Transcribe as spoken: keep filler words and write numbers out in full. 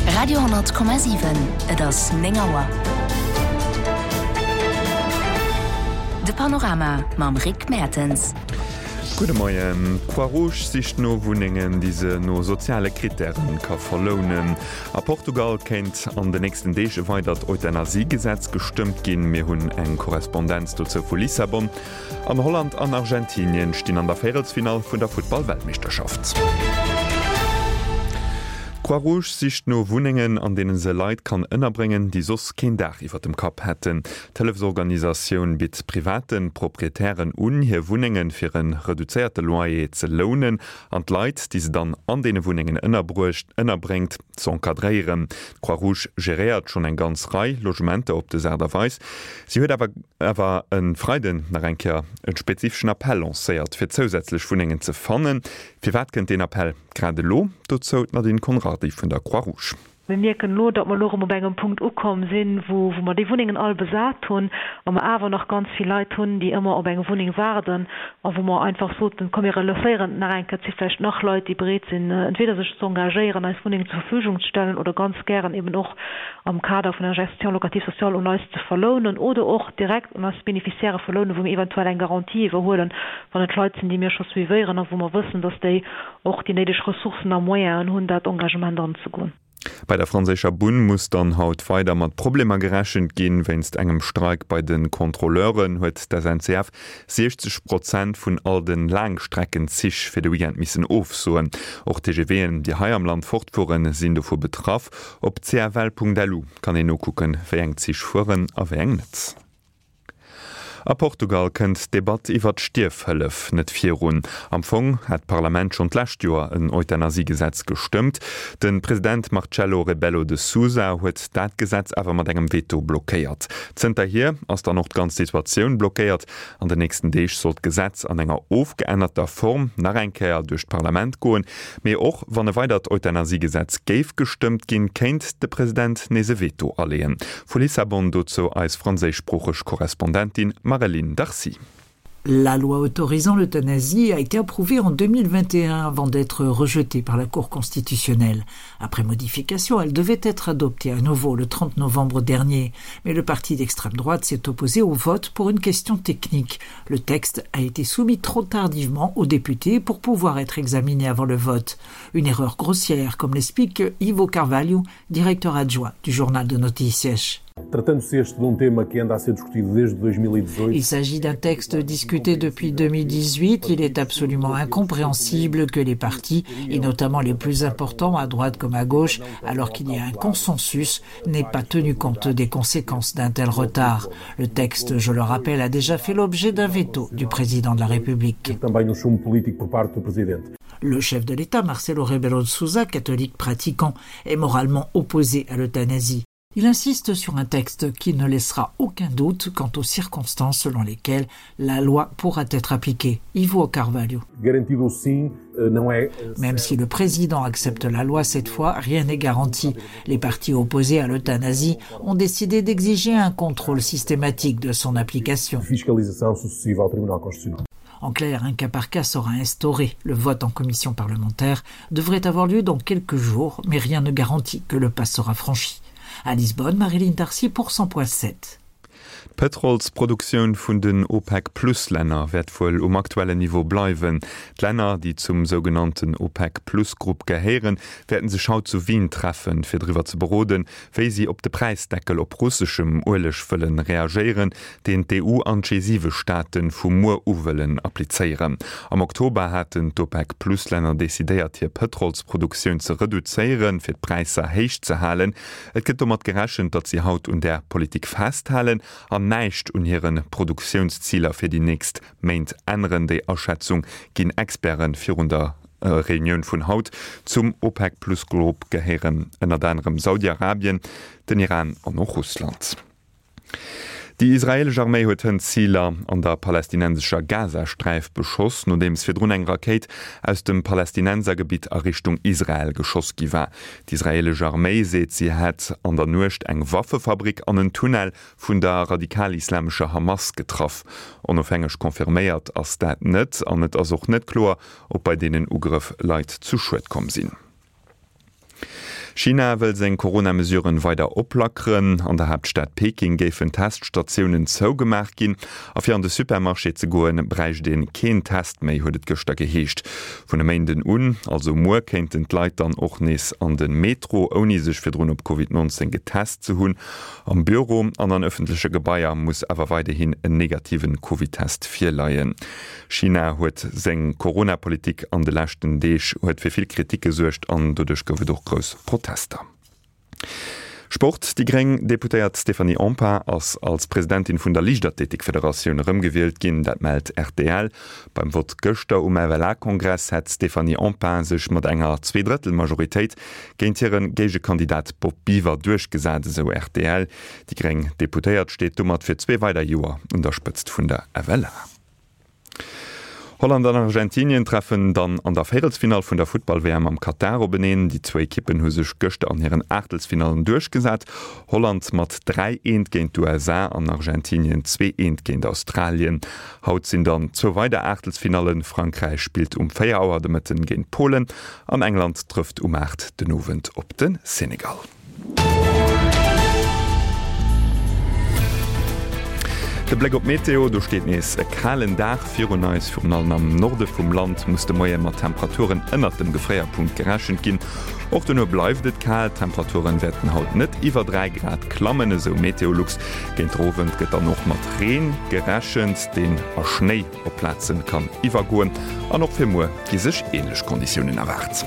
Radio honnert Komma siwen, Et ass néng Auer. De Panorama mam Rick Mertens. Gudde Moien. D'Croix-Rouge sicht no Wunnengen, déi se no soziale Krittären ka verlounen. A Portugal kéint an de nächsten Deeg e weidert Euthanasie-Gesetz gestëmmt ginn. Mir hunn eng Korrespondenz dozou vu Lissabon. An Holland an Argentinien stinn an der Véierelsfinall vun der Futtball-Weltmeeschterschaft. D'Croix-Rouge sicht no Wunnengen, an deene se Leit kann ënnerbréngen, déi soss keen Daach iwwer dem Kapp hätten. D'Hëllefsorganisatioun bitt private Proprietären un, hir Wunnenge fir e reduzéierte Loyer ze lounen an d'Leit, déi se dann an deene Wunnengen ënnerbruecht ënnerbréngt, z'encadréieren. D'Croix-Rouge geréiert schonn eng ganz Rei Logementer op des Aart a Weis. Si huet awer awer e Freiden nach eng Kéier e spezifeschen Appell lancéiert, fir zousätzlech Wunnengen ze fannen. Firwat kënnt deen Appell grad elo? Dozou d'Nadine Conrardy vun der Croix-Rouge. Mir mierken elo, datt mer elo erëm op engem Punkt ukomm sinn, wou mer déi Wunnengen all besat hunn a mer awer nach ganz vill Leit hunn, déi ëmmer op eng Wunneng waarden a wou mer einfach soten, komm mir relancéieren et nach eng Kéier. Et si vläicht nach Leit, déi bereet sinn, entweder sech ze engagéieren, eis Wunnengen zur Verfügung ze stellen oder ganz gären eben och am Kader vun der Gestion locative sociale un eis ze verlounen oder och direkt un eis Bénéficiairë verlounen, wou mir eventuell eng Garantie iwwerhuelen, wann et Leit sinn, déi mir scho suivéieren a wou mer wëssen, dass déi och déi néideg Ressourcen a Moyenen hunn, dat Engagement anzegoen. Bei der franséischer Bunn muss dann haut weider mat Problemer gerechent ginn. Wéinst engem Streik bei de Kontrolleuren huet d'SNCF siechzeg Prozent vun all de Laangstreckenzich fir de Weekend missen ofsoen. Och TGVen, déi hei am Land fortfueren, sinn dovu betraff. Op cfl.lu kann een nokucken, wéi eng Zich fueren a wéi eng net. A Portugal kënnt d'Debatt iwwer d'Stierfhëllef net virun. Am Fong hat d'Parlament schonn d'lescht Joer en Euthanasiegesetz gestëmmt. De President Marcelo Rebelo de Sousa huet dat Gesetz awer mat engem Veto blockéiert. Zënterhier ass dann och d'ganz Situatioun blockéiert. An den nächsten Deeg soll d'Gesetz an enger ofgeännerter Form nach eng Kéier duerch d'Parlament goen. Mee och wann e weidert Euthanasiegesetz géif gestëmmt ginn, kéint de President nees e Veto aleeën. Vu Lissabon dozou eis franséischsproocheg Korrespondentin Mareline Darcy. La loi autorisant l'euthanasie a été approuvée en deux mille vingt et un avant d'être rejetée par la Cour constitutionnelle. Après modification, elle devait être adoptée à nouveau le trente novembre dernier. Mais le parti d'extrême droite s'est opposé au vote pour une question technique. Le texte a été soumis trop tardivement aux députés pour pouvoir être examiné avant le vote. Une erreur grossière, comme l'explique Ivo Carvalho, directeur adjoint du journal de Notícias. Tratando-se este de um tema que anda a ser discutido desde dois mil e dezoito. Il s'agit d'un texte discuté depuis deux mille dix-huit. Il est absolument incompréhensible que les partis, et notamment les plus importants, à droite comme à gauche, alors qu'il y a un consensus, n'aient pas tenu compte des conséquences d'un tel retard. Le texte, je le rappelle, a déjà fait l'objet d'un veto du président de la République. Também um chumbo político por parte do presidente. Le chef de l'État, Marcelo Rebelo de Sousa, catholique pratiquant, est moralement opposé à l'euthanasie. Il insiste sur un texte qui ne laissera aucun doute quant aux circonstances selon lesquelles la loi pourra être appliquée. Ivo Carvalho. Garantido sim, não é Même si le président accepte la loi cette fois, rien n'est garanti. Les partis opposés à l'euthanasie ont décidé d'exiger un contrôle systématique de son application. Fiscalização sucessiva ao Tribunal Constitucional. En clair, un cas par cas sera instauré. Le vote en commission parlementaire devrait avoir lieu dans quelques jours, mais rien ne garantit que le pas sera franchi. À Lisbonne, Marie-Line Darcy pour cent point sept. D'Pëtrolsproduktioun vun den OPEC-Plus-Länner wäert wuel um aktuellen Niveau bleiwen. D'Länner, déi zum sougenannten OPEC-Plus-Grupp gehéieren, wäerten sech haut zu Wien treffen, fir driwwer ze beroden, wéi si op de Präisdeckel op russeschem Ueleg wëllen reagéieren, deen d'E U an d'G siwe Staate vu muer u wëllen applizéieren. Am Oktober haten d'OPEC-Plus-Länner decidéiert, hir Pëtrolsproduktioun ze reduzéieren, fir d'Präisser héich ze halen. Et gëtt domat gerechent, datt si haut un där Politik festhalen an näischt un hire Produktiounsziler fir déi nächst Méint änneren. Déi Aschätzung ginn Experte virun der Reunioun vun haut. Zum OPEC-Plus-Grupp gehéieren ënnert anerem Saudi-Arabien, den Iran an och Russland. Déi israeelesch Arméi huet hënt Ziler an der palästinensescher Gazasträif beschoss, nodeems virdrun eng Rakéit aus dem Palästinensergebitt a Richtung Israel geschoss gi war. D'israeelesch Arméi seet, si hätt an der Nuecht eng Waffefabrik an en Tunnel vun der radikal-islamescher Hamas getraff. Onofhängeg confirméiert ass dat net an et ass och net kloer, ob bei deenen Ugrëff Leit zu Schued komm sinn. China wëll seng Corona-Mesuren weider oplackeren. An der Haaptstad Peking géifen Teststatiounen zougemaach ginn a fir an de Supermarché ze goen, bräicht ee keen Test méi, huet et gëschter geheescht. Vun e Méinden un, also muer, kéinten d'Leit dann och nees an de Metro, ouni sech virdrun op Covid neunzéng getest ze hunn. Am Büro an an ëffentleche Gebaier muss awer weiderhin en negativen Covid-Test virleien. China huet seng Corona-Politik an de leschten Deeg huet fir vill Kritik gesuergt an doduerch gouf et och grouss Protester. Sport, Déi gréng Deputéiert Stéphanie Empain ass als Presidentin vun der Liichtathletikfederatioun erëmgewielt ginn, dat mellt rtl. Beim Vott gëschter um F L A-Kongress hätt d'Stéphanie Empain sech mat enger Zweedrëttel-Majoritéit géint hire Géigekandidat Bob Biver duerchgesat, esou rtl. Déi gréng Deputéiert steet domat fir zwee weider Joer un der Spëtzt vun der F L A. Holland an Argentinien treffen dann an der Véierelsfinall vun der Futtball-W M am Katar openeen. Déi zwou Ekippen hu sech gëschter an hiren Aachtelsfinallen duerchgesat. Holland mat dräi eent géint d'U S A an Argentinien zwee eent géint Australien. Haut sinn dann zwou weider Aachtelsfinallen. Frankräich spillt um véier Auer de Mëtten géint Polen an England trëfft um aacht den Owend op de Senegal. De Bléck op d'Meteo, do steet nees e kalen Dag virun eis. Virun allem am Norde vum Land muss de Moie mat Temperaturen ënnert dem Gefréierpunkt gerechent ginn. Och dono bleift et kal, d'Temperaturen wäerten haut net iwwer dräi Grad klammen, esou Meteolux. Géint den Owend gëtt dann och mat Reen gerechent, deen a Schnéi op Plaze kann iwwergoen. An och fir muer gi sech änlech Konditiounen erwaart.